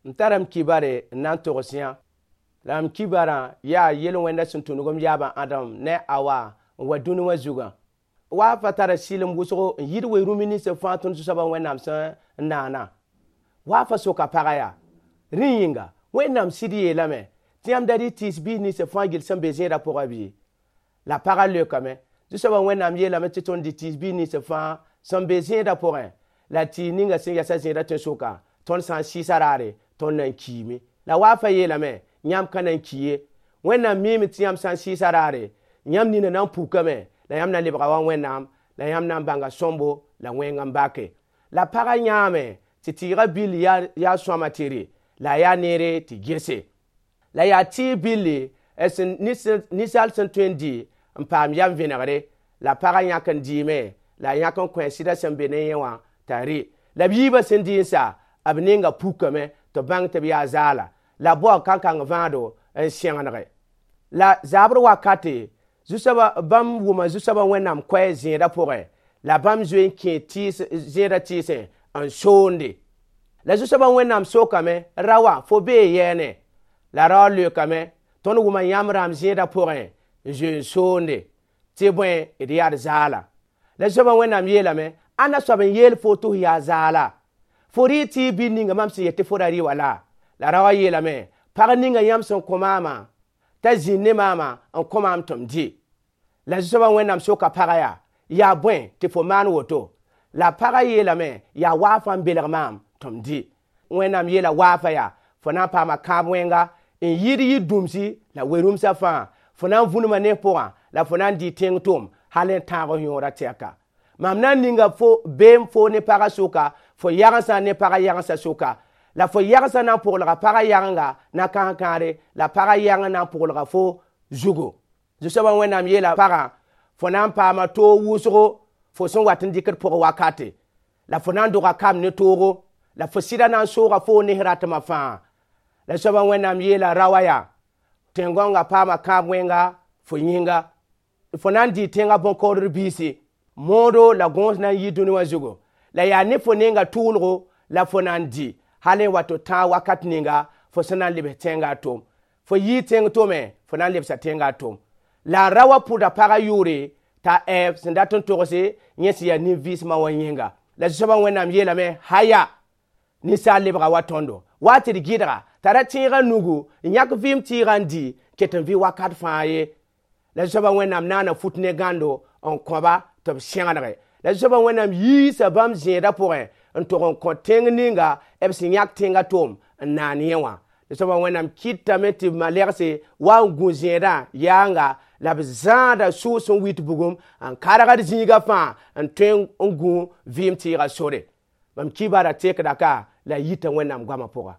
M tara m kibare n na n togs yã. La m kibarã yaa yel-wẽndã sẽn tũnug m yaabã Adam ne Awa n wa dũni wã zugã. Wa fa tara sɩlem wʋsgo n yɩɩd we-rũmb nins fãa tõnd Zu-soabã Wẽnnaam sẽn n naana. Wa fa soka pagã yaa: Rẽ yĩnga, Wẽnnaam sɩd yeelame tɩ yãmb da rɩ tɩɩs biis nins fãa gill sẽn be zẽedã pʋgã bɩ? La pagã leokame: Zu-soabã Wẽnnaam yeelame tɩ tõnd dɩ tɩɩs biis nins fãa sẽn be zẽedã pʋgẽ, la tɩɩs ninga sẽn yasa zẽedã tẽn-sʋka, tõnd sã n sɩɩsa raare, tõnd na n kiime. La wa fa yeelame: Yãmb ka na n ki ye. Wẽnnaam miime tɩ yãmb sã n sɩɩsa raare, yãmb nina na n pukame, la yãmb na lebga wa Wẽnnaam, la yãmb na n bãnga sõmbo la wẽng n bake. La pagã yãame tɩ tɩɩgã bill yaa sõama tɩ rɩ, la a yaa neere tɩ gese. La yaa tɩɩg billi sẽn ninsaal sẽn tõe n dɩ n paam yam vẽnegre. La pagã yãk n dɩɩme, la a yãk n kõ a sɩdã sẽn be ne yẽ wã t'a rɩ. La b yiibã sẽn dɩ n sa, b nenga pukame tɩ b bãng tɩ b yaa zaala. La b bao kankang vãado n sẽgenege. La zabr wakate, Zu-soabã bãmb wʋma Zu-soabã Wẽnnaam koɛɛ zẽedã pʋgẽ, la bãmb zoe n kẽ zẽedã tɩɩsẽ n soonde. La Zu-soabã Wẽnnaam sokame: Raoã, fo bee yɛɛne? La raoã leokame: Tõnd wʋma yãmb rãmb zẽedã pʋgẽ n zoe n soonde, tɩ bõe d yaa d zaala. La Zu-soabã Wẽnnaam yeelame: Ãnna soab n yeel fo tɩ f yaa zaala? Fo rɩ tɩɩg bil ninga mam sẽn yet tɩ fo ra rɩ wala? La raoã yeelame: Pag ninga yãmb sẽn kõ maamã t'a zĩnd ne maamã n kõ maam tɩ m dɩ. La Zu-soabã Wẽnnaam soka pagã yaa: Yaa bõe tɩ fo maan woto? La pagã yeelame: Yaa waafã n belg maam tɩ m dɩ. Wẽnnaam yeela waafã yaa: Fo na n paama kãab wẽnga n yɩɩd yir-dũmsi la we-rũmsã fãa. Fo na n vũnema ne pʋgã la fo na n dɩ tẽng tʋm hal n tãag f yõorã tɛka. Mam na n ninga fo beem fo ne pagã sʋka, fo yagensã ne pagã yagensã sʋka. La fo yagensã na n pʋglga pagã yagenga na kãs-kãare, la pagã yageng na n pʋglga fo zugu. Zu-soabã Wẽnnaam yeela pagã: Fo na n paama toog wʋsgo fo sẽn wat n dɩkd pʋgẽ wakate. La fo na n doga kam ne toogo, la fo sɩda na n sooga fo ne ratmã fãa. La Zu-soabã Wẽnnaam yeela raoã yaa: Tẽn-gãongã paama kãab wẽnga fo yĩnga. Fo na n dɩ tẽngã bõn-kaoodr biisi. Moodo la gõos na n yi dũni wã zugu. La yaa ne fo nenga tʋʋlgo la fo na n dɩ hal n wa tɩ tãag wakat ninga fo sẽn na n lebs tẽngã tom. Fo yii tẽng tome, fo na n lebsa tẽngã tom. La a raoã pʋda pagã yʋʋre t'a Ɛɛv sẽn dat n togse yẽ sẽn yaa nin-vɩɩsmã wã yĩnga. La Zu-soabã Wẽnnaam yeelame: Haya, ninsaal lebga wa tõndo. Wa tɩ d gɩdga t'a ra tẽegã nugu n yãk vɩɩm tɩɩgã n dɩ ket n vɩ wakat fãa ye. La Zu-soabã Wẽnnaam naana fut ne gãndo n kõ-ba tɩ b sẽgenege. La Zu-soabã Wẽnnaam yiisa bãmb zẽedã pʋgẽ n tog n kõ tẽng ninga b sẽn yãk tẽngã tom n naan yẽ wã. Zu-soabã Wẽnnaam kɩtame tɩ malegse wa n gũ zẽedã yaanga la b zãada sʋʋs sẽn wit bugum n kargd zĩigã fãa n tõe n gũ vɩɩm tɩɩgã sore. Mam kibara tekda ka la yita Wẽnnaam goamã pʋga.